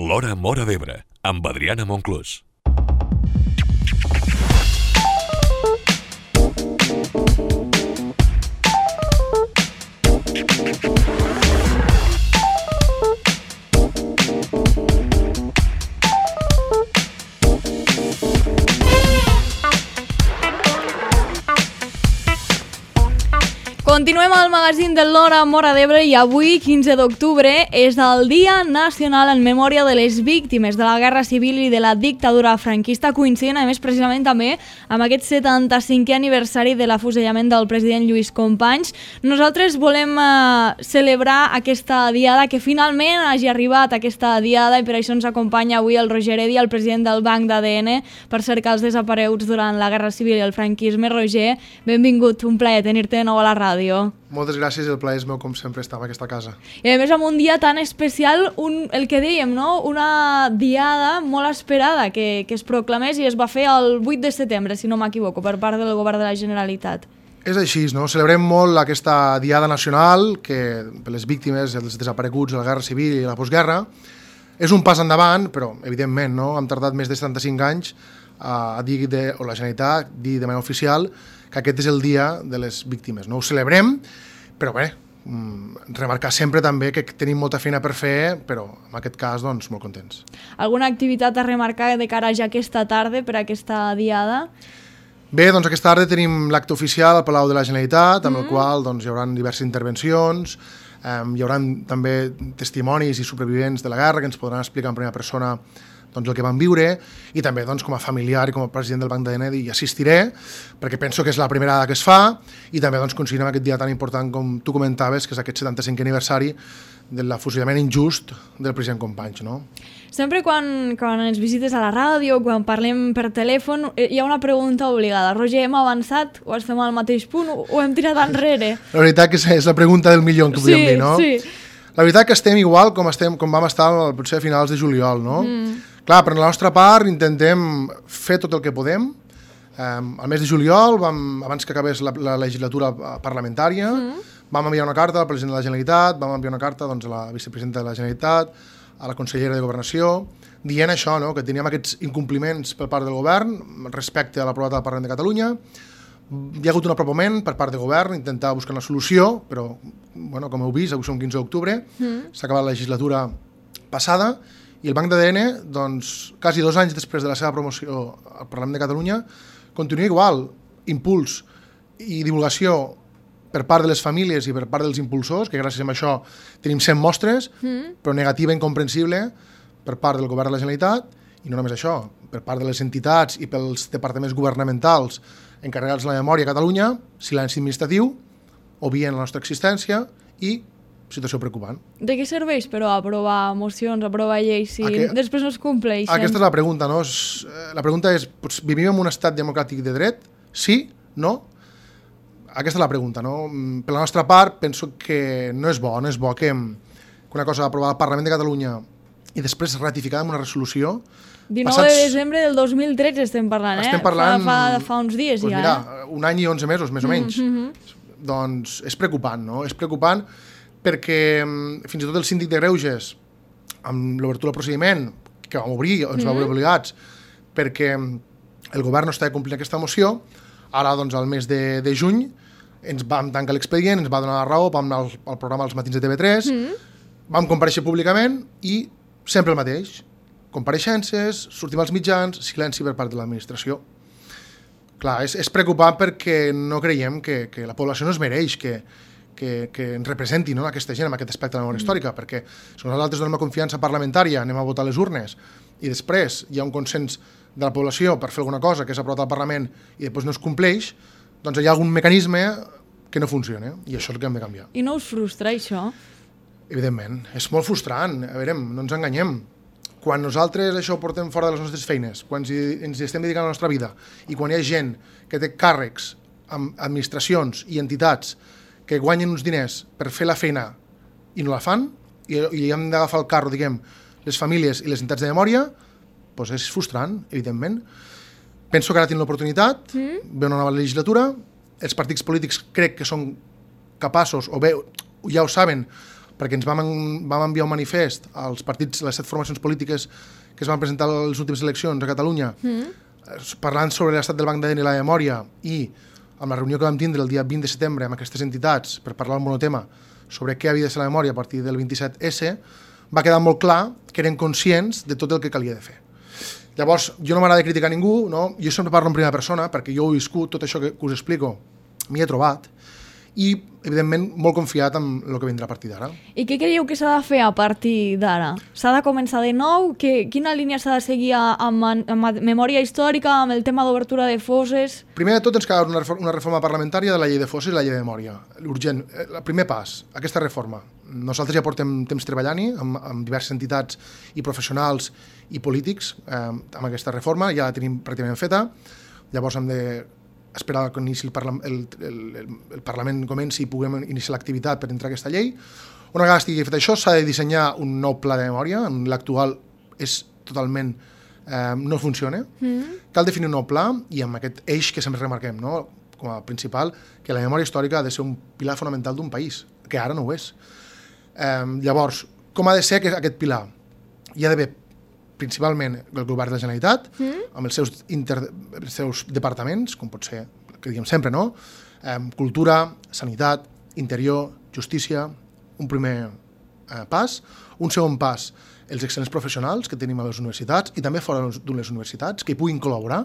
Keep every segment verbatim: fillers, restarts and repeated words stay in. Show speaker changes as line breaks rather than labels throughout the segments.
L'Hora Móra d'Ebre, amb Adriana Monclús.
Continuem al magazín de l'Hora Móra d'Ebre i avui, quinze d'octubre, és el Dia Nacional en memòria de les víctimes de la Guerra Civil i de la dictadura franquista, coincidint, a més, precisament també amb aquest setanta-cinquè aniversari de l'afusellament del president Lluís Companys. Nosaltres volem eh, celebrar aquesta diada, que finalment hagi arribat aquesta diada, i per això ens acompanya avui el Roger Edi, el president del Banc d'A D N, per cercar els desapareguts durant la Guerra Civil i el franquisme. Roger, benvingut, un plaer tenir-te de nou a la ràdio.
Moltes gràcies, el plaer és meu, com sempre, estar en aquesta casa.
I a més, amb un dia tan especial, un, el que dèiem, no? Una diada molt esperada que, que es proclamés i es va fer el vuit de setembre, si no m'equivoco, per part del govern de la Generalitat.
És així, no? Celebrem molt aquesta diada nacional, que per les víctimes, els desapareguts de la Guerra Civil i la postguerra, és un pas endavant, però, evidentment, no? Hem tardat més de setanta-cinc anys a dir, de, o la Generalitat, dir de manera oficial que aquest és el dia de les víctimes. No ho celebrem, però bé, remarcar sempre també que tenim molta feina per fer, però en aquest cas, doncs, molt contents.
Alguna activitat a remarcar de cara ja aquesta tarda per aquesta diada?
Bé, doncs aquesta tarda tenim l'acte oficial al Palau de la Generalitat, amb mm. el qual doncs, hi haurà diverses intervencions, eh, hi haurà també testimonis i supervivents de la guerra que ens podran explicar en primera persona doncs, el que van viure, i també doncs, com a familiar i com a president del Banc d'A D N hi assistiré, perquè penso que és la primera vegada que es fa, i també doncs, coincidim aquest dia tan important com tu comentaves, que és aquest setanta-cinquè aniversari de l'afusellament injust del president Companys. No?
Sempre quan, quan ens visites a la ràdio, quan parlem per telèfon, hi ha una pregunta obligada. Roger, hem avançat o estem al mateix punt o, o hem tirat enrere?
La veritat que és la pregunta del milió, que podríem
sí,
dir, no?
Sí.
La veritat que estem igual com, estem, com vam estar potser a finals de juliol, no?
Mm.
Clar, per la nostra part intentem fer tot el que podem. Um, al mes de juliol, vam, abans que acabés la, la legislatura parlamentària, mm. vam enviar una carta al president de la Generalitat, vam enviar una carta doncs, a la vicepresidenta de la Generalitat, a la consellera de Governació, dient això, no? Que teníem aquests incompliments per part del govern respecte a l'aprovat del Parlament de Catalunya. Hi ha hagut un apropament per part del govern, intentar buscar una solució, però, bueno, com heu vist, avui som quinze d'octubre, mm. s'ha acabat la legislatura passada, i el Banc d'A D N, doncs, quasi dos anys després de la seva promoció al Parlament de Catalunya, continua igual, impuls i divulgació per part de les famílies i per part dels impulsors, que gràcies a això tenim cent mostres, mm. però negativa i incomprensible per part del govern de la Generalitat, i no només això, per part de les entitats i pels departaments governamentals encarregats de la memòria a Catalunya, silenci administratiu, obvien la nostra existència i situació preocupant.
De què serveix, però, aprovar mocions, aprovar lleis, si Aqu després no es compleixen?
Aquesta és la pregunta, no? La pregunta és, vivim en un estat democràtic de dret? Sí? No? Aquesta és la pregunta, no? Per la nostra part, penso que no és bo, no és bo que una cosa aprovada al Parlament de Catalunya i després ratificada amb una resolució...
dinou passats... de desembre del dos mil tretze estem parlant, eh?
Estem parlant...
Fa, fa, fa uns dies
doncs
ja,
mira,
eh?
un any i onze mesos, més o menys.
Mm-hmm.
Doncs és preocupant, no? És preocupant perquè fins i tot el síndic de Greuges, amb l'obertura del procediment, que vam obrir, ens mm-hmm. va obrir obligats, perquè el govern no estava complint aquesta moció, ara, doncs, al mes de, de juny, ens vam tancar l'expedient, ens va donar la raó, vam anar al, al programa als matins de T V tres, mm-hmm. vam comparèixer públicament i sempre el mateix. Compareixences, sortim als mitjans, silenci per part de l'administració. Clar, és, és preocupant perquè no creiem que, que la població no es mereix que, que, que ens representi, no, aquesta gent en aquest aspecte de la memòria mm. històrica, perquè si nosaltres donem la confiança parlamentària, anem a votar a les urnes, i després hi ha un consens de la població per fer alguna cosa que és aprovat al Parlament i després no es compleix, doncs hi ha algun mecanisme que no funciona, i això és el que hem de canviar.
I no us frustra, això?
Evidentment, és molt frustrant. A veure, no ens enganyem. Quan nosaltres això ho portem fora de les nostres feines, quan ens hi estem dedicant a la nostra vida, i quan hi ha gent que té càrrecs amb administracions i entitats que guanyen uns diners per fer la feina i no la fan, i, i hem d'agafar el carro, diguem, les famílies i les entitats de memòria, doncs és frustrant, evidentment. Penso que ara tenim l'oportunitat, mm. ve una nova legislatura, els partits polítics crec que són capaços, o bé ja ho saben, perquè ens vam, vam enviar un manifest als partits, les set formacions polítiques que es van presentar a les últimes eleccions a Catalunya, mm. parlant sobre l'estat del Banc d'A D N i la memòria, i amb la reunió que vam tindre el dia vint de setembre amb aquestes entitats per parlar del monotema sobre què havia de ser la memòria a partir del vint-i-set esse, va quedar molt clar que eren conscients de tot el que calia de fer. Llavors, jo no m'agrada criticar ningú, no? Jo sempre parlo en primera persona, perquè jo ho he viscut, tot això que us explico, m'hi he trobat, i, evidentment, molt confiat en el que vindrà a partir d'ara.
I què creieu que s'ha de fer a partir d'ara? S'ha de començar de nou? Que, quina línia s'ha de seguir amb, amb memòria històrica, amb el tema d'obertura de fosses?
Primer de tot ens cal una, una reforma parlamentària de la llei de fosses i la llei de memòria. Urgent. El primer pas, aquesta reforma. Nosaltres ja portem temps treballant-hi amb, amb diverses entitats i professionals i polítics eh, amb aquesta reforma, ja la tenim pràcticament feta. Llavors hem de esperar que inici el, parla el, el, el, el Parlament comenci i puguem iniciar l'activitat per entrar a aquesta llei. Una vegada estigui fet això, s'ha de dissenyar un nou pla de memòria, l'actual és totalment eh, no funciona. Mm. Cal definir un nou pla i amb aquest eix que sempre remarquem, no? Com a principal, que la memòria històrica ha de ser un pilar fonamental d'un país, que ara no ho és. Eh, llavors, com ha de ser aquest pilar? Hi ha d'haver principalment el govern de la Generalitat, mm. amb els seus, inter, els seus departaments, com pot ser, que diguem sempre, no? Eh, cultura, sanitat, interior, justícia, un primer eh, pas. Un segon pas, els excel·lents professionals que tenim a les universitats i també fora de les universitats, que hi puguin col·laborar.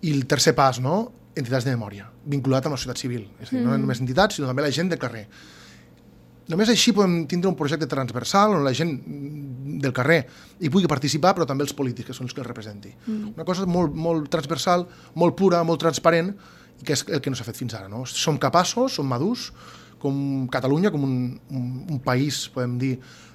I el tercer pas, no? Entitats de memòria, vinculat amb la societat civil. És a dir, mm. no només entitats, sinó també la gent del carrer. Només així podem tindre un projecte transversal on la gent del carrer hi pugui participar, però també els polítics, que són els que els representi. Mm. Una cosa molt, molt transversal, molt pura, molt transparent, i que és el que no s'ha fet fins ara. No? Som capaços, som madurs, com Catalunya, com un, un, un país, podem dir,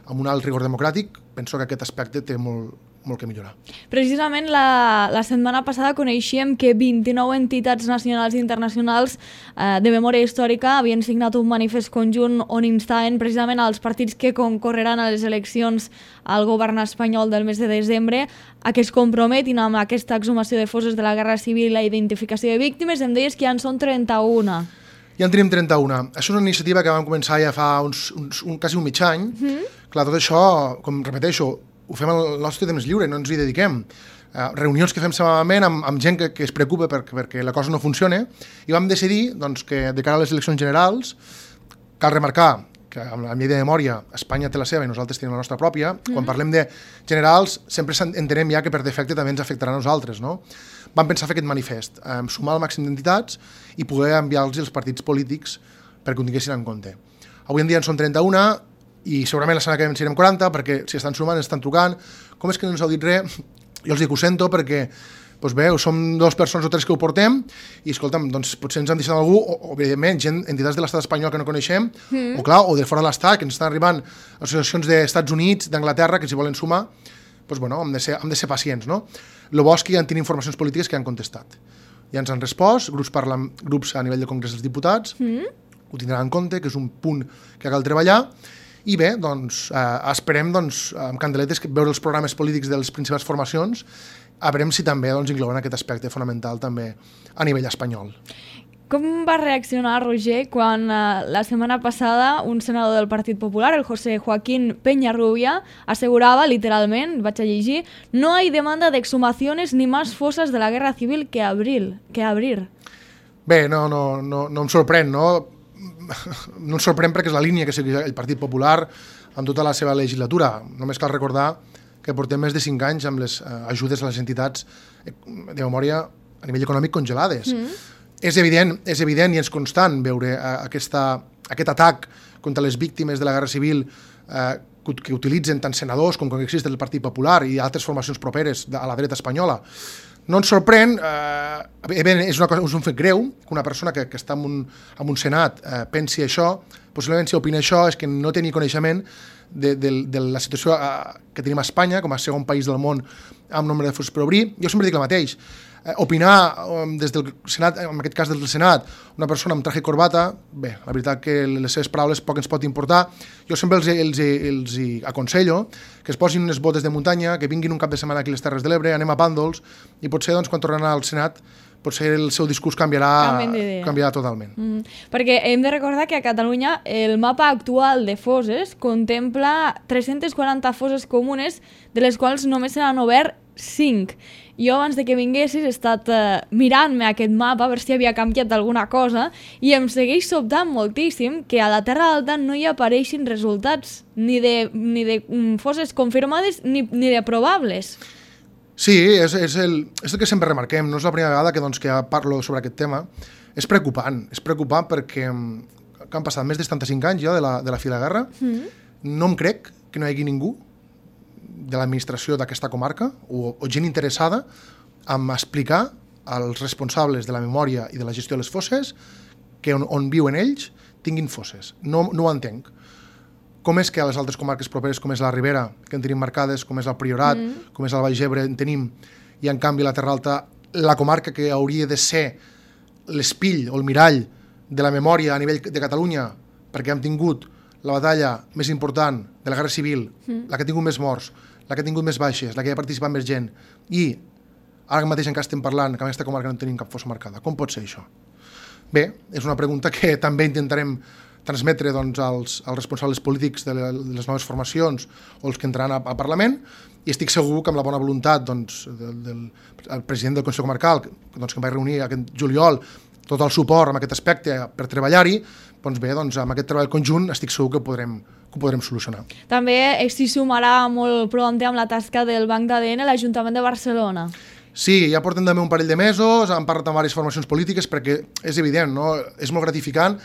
amb un alt rigor democràtic, penso que aquest aspecte té molt, molt que millorar.
Precisament la, la setmana passada coneixíem que vint-i-nou entitats nacionals i internacionals eh, de memòria històrica havien signat un manifest conjunt on instaven precisament als partits que concorreran a les eleccions al govern espanyol del mes de desembre a que es comprometin amb aquesta exhumació de fosses de la Guerra Civil i la identificació de víctimes. Em deies que ja en són trenta-una.
Ja en tenim trenta-una. Això és una iniciativa que vam començar ja fa uns, uns, un, quasi un mig any. Mm-hmm. Clar, tot això, com repeteixo, ho fem al nostre temps lliure, no ens hi dediquem. Uh, reunions que fem setmanalment amb, amb gent que, que es preocupa per, perquè la cosa no funcione, i vam decidir doncs, que de cara a les eleccions generals cal remarcar que amb la llei de memòria Espanya té la seva i nosaltres tenim la nostra pròpia. Mm-hmm. Quan parlem de generals sempre entenem ja que per defecte també ens afectarà a nosaltres, no? Vam pensar fer aquest manifest, eh, sumar el màxim d'entitats i poder enviar-los als partits polítics perquè ho tinguessin en compte. Avui en dia en són trenta-una i segurament la setmana que ve en serem quaranta, perquè si estan sumant, estan trucant. Com és que no ens heu dit res? Jo els dic, ho sento, perquè doncs bé, som dues persones o tres que ho portem i, escolta'm, doncs potser ens han deixat algú, o, o evidentment, gent, entitats de l'estat espanyol que no coneixem, mm. o clar, o de fora de l'estat, que ens estan arribant associacions d'Estats Units, d'Anglaterra, que s'hi volen sumar, doncs bueno, hem de ser, hem de ser pacients, no? El bo és que ja en tenim informacions polítiques que han contestat. Ja ens han respost, grups, parla, grups a nivell de Congrés dels Diputats, mm. ho tindran en compte, que és un punt que cal treballar. I bé, doncs, eh, esperem doncs, amb candeletes veure els programes polítics de les principals formacions, a veure si també doncs, inclouen aquest aspecte fonamental també a nivell espanyol.
Com va reaccionar Roger quan eh, la setmana passada un senador del Partit Popular, el José Joaquín Peñarrubia, assegurava literalment, vaig a llegir, no hay demanda de exhumaciones ni más fosas de la guerra civil que abrir? Que abrir.
Bé, no, no, no, no em sorprèn, no? No ens sorprèn perquè és la línia que segueix el Partit Popular en tota la seva legislatura. Només cal recordar que portem més de cinc anys amb les eh, ajudes a les entitats de memòria a nivell econòmic congelades. Mm. És evident, és evident i és constant veure eh, aquesta, aquest atac contra les víctimes de la Guerra Civil eh, que, que utilitzen tant senadors com congressistes del Partit Popular i altres formacions properes a la dreta espanyola. No ens sorprèn, eh, és, una cosa, és un fet greu que una persona que, que està en un, en un senat eh, pensi això, possiblement si opina això és que no té ni coneixement de, de, de la situació eh, que tenim a Espanya com a segon país del món amb nombre de fosses per obrir. Jo sempre dic el mateix, eh, opinar eh, des del Senat, en aquest cas des del Senat, una persona amb traje i corbata, bé, la veritat que les seves paraules poc ens pot importar. Jo sempre els, els, els aconsello que es posin unes botes de muntanya, que vinguin un cap de setmana aquí a les Terres de l'Ebre, anem a Pàndols, i potser doncs, quan tornen al Senat potser el seu discurs canviarà,
Canvien d'idea.
canviarà totalment.
Mm, perquè hem de recordar que a Catalunya el mapa actual de fosses contempla tres-centes quaranta fosses comunes, de les quals només se n'han obert cinc. Jo, abans de que vinguessis, he estat eh, mirant-me aquest mapa a veure si havia canviat alguna cosa i em segueix sobtant moltíssim que a la Terra Alta no hi apareixin resultats ni de, ni de mm, fosses confirmades ni, ni de probables.
Sí, és, és, el, és el que sempre remarquem, no és la primera vegada que, doncs, que parlo sobre aquest tema. És preocupant, és preocupant perquè que han passat més de setanta-cinc anys ja de la, de la fi de la guerra. Mm. No em crec que no hi hagi ningú de l'administració d'aquesta comarca o, o gent interessada en explicar als responsables de la memòria i de la gestió de les fosses que on, on viuen ells tinguin fosses. No, no ho entenc. Com és que a les altres comarques properes, com és la Ribera, que en tenim marcades, com és el Priorat, mm. com és el Baix Ebre, en tenim, i en canvi la Terra Alta, la comarca que hauria de ser l'espill o el mirall de la memòria a nivell de Catalunya, perquè hem tingut la batalla més important de la Guerra Civil, mm. la que ha tingut més morts, la que ha tingut més baixes, la que hi ha participat més gent, i ara mateix encara estem parlant que en aquesta comarca no tenim cap fossa marcada. Com pot ser això? Bé, és una pregunta que també intentarem transmetre doncs, als, als responsables polítics de, le, de les noves formacions o els que entraran al Parlament, i estic segur que amb la bona voluntat doncs, del, del el president del Consell Comarcal, doncs, que em vaig reunir aquest juliol, tot el suport en aquest aspecte per treballar-hi, doncs bé, doncs, amb aquest treball conjunt estic segur que podrem, que ho podrem solucionar.
També s'hi sumarà molt prompte amb la tasca del Banc d'A D N l'Ajuntament de Barcelona.
Sí, ja portem també un parell de mesos, han parlat amb diverses formacions polítiques perquè és evident, no? És molt gratificant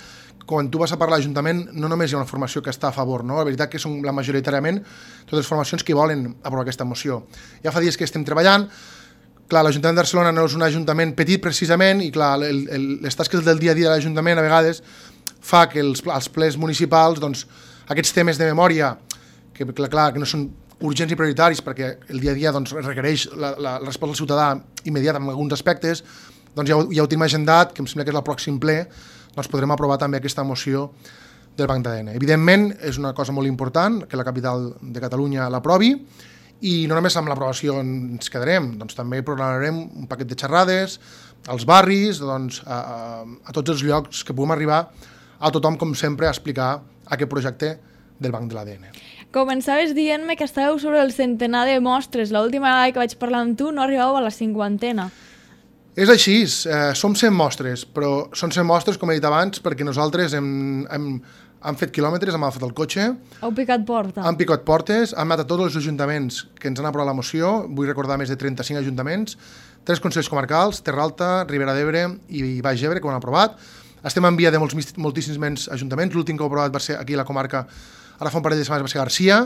quan tu vas a parlar a l'Ajuntament no només hi ha una formació que està a favor, no? La veritat que són la majoritàriament totes les formacions que volen aprovar aquesta moció. Ja fa dies que estem treballant, clar, l'Ajuntament de Barcelona no és un ajuntament petit precisament i clar, el, el, les tasques del dia a dia de l'Ajuntament a vegades fa que els, els plens municipals, doncs, aquests temes de memòria, que clar, clar que no són urgents i prioritaris perquè el dia a dia doncs, requereix la, la, la resposta del ciutadà immediata en alguns aspectes, doncs ja ho, ja ho tenim agendat, que em sembla que és el pròxim ple, doncs podrem aprovar també aquesta moció del Banc d'A D N. Evidentment, és una cosa molt important que la capital de Catalunya l'aprovi, i no només amb l'aprovació ens quedarem, doncs també programarem un paquet de xerrades als barris, doncs, a, a, a tots els llocs que puguem arribar a tothom, com sempre, a explicar aquest projecte del Banc de l'A D N.
Començaves dient-me que estàveu sobre el centenar de mostres. L'última vegada que vaig parlar amb tu no arribàveu a la cinquantena.
És així, eh, som cent mostres, però són cent mostres, com he dit abans, perquè nosaltres hem, hem, hem fet quilòmetres, hem agafat el cotxe,
Heu picat porta.
hem picat portes, hem anat a tots els ajuntaments que ens han aprovat la moció, vull recordar més de trenta-cinc ajuntaments, tres consells comarcals, Terra Alta, Ribera d'Ebre i Baix Ebre, que ho han aprovat. Estem en via de molts, moltíssims menys ajuntaments, l'últim que ho ha aprovat va ser aquí a la comarca, ara fa un parell de setmanes va ser Garcia,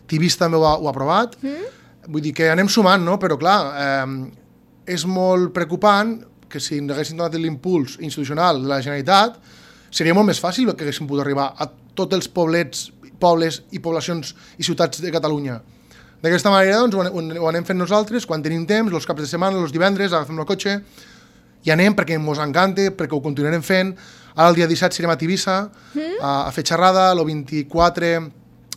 Tivís també ho ha, ho ha aprovat, mm? Vull dir que anem sumant, no? Però clar, eh, és molt preocupant que si ens haguessin donat l'impuls institucional de la Generalitat, seria molt més fàcil que haguéssim pogut arribar a tots els poblets, pobles i poblacions i ciutats de Catalunya. D'aquesta manera doncs, ho anem fent nosaltres, quan tenim temps, els caps de setmana, els divendres, agafem el cotxe i anem perquè ens encanta, perquè ho continuarem fent. Ara el dia disset serem a Tivissa mm? a, a fer xerrada, el vint-i-quatre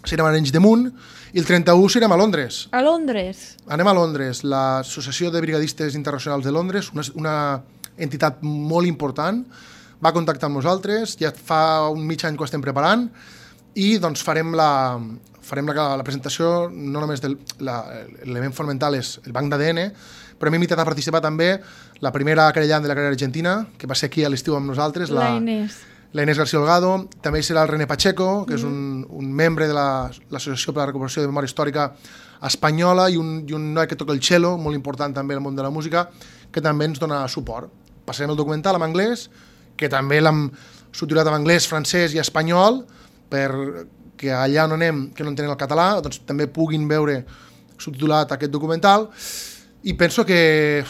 serem a Arenys de Munt i el trenta-u serem a Londres.
A Londres?
Anem a Londres. L'Associació de Brigadistes Internacionals de Londres, una, una entitat molt important, va contactar amb nosaltres, ja fa un mig any que ho estem preparant, i doncs farem la, farem la, la presentació, no només del l'element fonamental és el Banc d'A D N, però hem invitat a participar també la primera querellant de la carrera argentina, que va ser aquí a l'estiu amb nosaltres,
la, la Inés.
La Inés García Holgado. També hi serà el René Pacheco, que mm. és un, un membre de l'Associació per la Recuperació de Memòria Històrica Espanyola, i un, i un noi que toca el cello, molt important també al món de la música, que també ens dona suport. Passarem el documental en anglès, que també l'hem subtitulat en anglès, francès i espanyol, perquè allà on anem, que no entenen el català, doncs també puguin veure subtitulat aquest documental. I penso que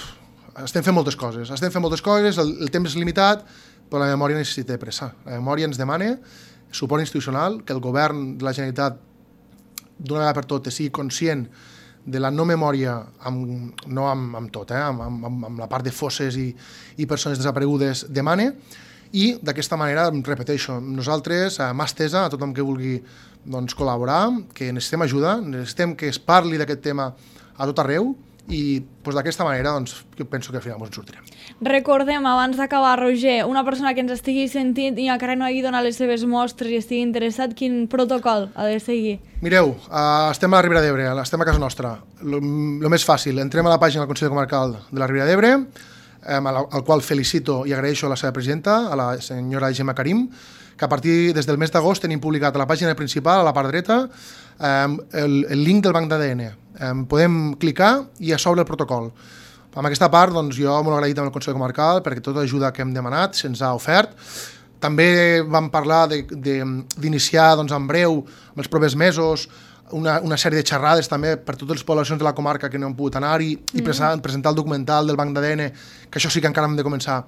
estem fent moltes coses, estem fent moltes coses, el, el temps és limitat, però la memòria necessita pressa. La memòria ens demana suport institucional, que el govern de la Generalitat d'una vegada per totes sigui conscient de la no memòria, amb, no amb, amb tot, eh, amb, amb, amb la part de fosses i, i persones desaparegudes demana, i d'aquesta manera, repeteixo, nosaltres, a mà estesa, a tothom que vulgui doncs, col·laborar, que necessitem ajuda, necessitem que es parli d'aquest tema a tot arreu, i doncs, d'aquesta manera doncs, jo penso que al final ens en sortirem.
Recordem, abans d'acabar, Roger, una persona que ens estigui sentint i encara no hagi donat les seves mostres i estigui interessat, quin protocol ha de seguir?
Mireu, uh, estem a la Ribera d'Ebre, estem a casa nostra. El més fàcil, entrem a la pàgina del Consell Comarcal de la Ribera d'Ebre, um, al, al qual felicito i agraeixo a la seva presidenta, a la senyora Gemma Karim, que a partir des del mes d'agost tenim publicat a la pàgina principal, a la part dreta, um, el, el link del banc d'A D N. Um, podem clicar i a sobre el protocol. Amb aquesta part, doncs, jo molt agraït amb el Consell Comarcal perquè tota l'ajuda que hem demanat se'ns ha ofert. També vam parlar d'iniciar doncs, en breu, en els propers mesos, una, una sèrie de xerrades també per totes les poblacions de la comarca que no han pogut anar-hi i mm. presentar, presentar el documental del banc d'A D N, que això sí que encara hem de començar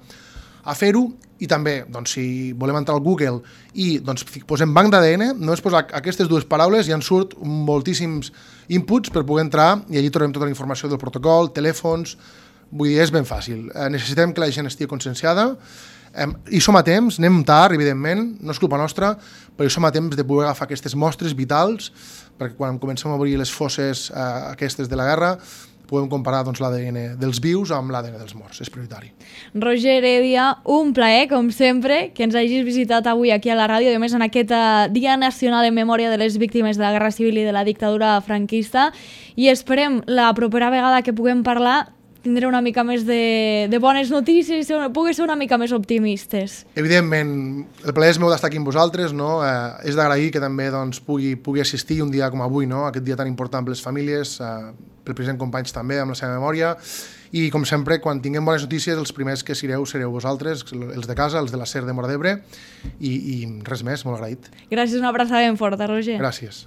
a fer-ho, i també, doncs, si volem entrar al Google i doncs, posem banc d'A D N, només posar aquestes dues paraules i en surt moltíssims inputs per poder entrar i allí trobem tota la informació del protocol, telèfons, vull dir, és ben fàcil. Eh, necessitem que la gent estigui conscienciada, eh, i som a temps, anem tard, evidentment, no és culpa nostra, però hi som a temps de poder agafar aquestes mostres vitals, perquè quan comencem a obrir les fosses eh, aquestes de la guerra, podem comparar doncs, l'A D N dels vius amb l'A D N dels morts, és prioritari.
Roger Heredia, un plaer, com sempre, que ens hagis visitat avui aquí a la ràdio, i a més en aquest Dia Nacional en Memòria de les Víctimes de la Guerra Civil i de la Dictadura franquista, i esperem la propera vegada que puguem parlar tindré una mica més de, de bones notícies i pugui ser una mica més optimistes. Evidentment, el plaer és meu d'estar aquí amb vosaltres, no? Eh, és d'agrair que també doncs, pugui, pugui assistir un dia com avui, no? Aquest dia tan important per les famílies, eh, pel president Companys també, amb la seva memòria, i com sempre, quan tinguem bones notícies, els primers que sereu sereu vosaltres, els de casa, els de la SER de Móra d'Ebre, i, i res més, molt agraït. Gràcies, una abraçada ben forta, Roger. Gràcies.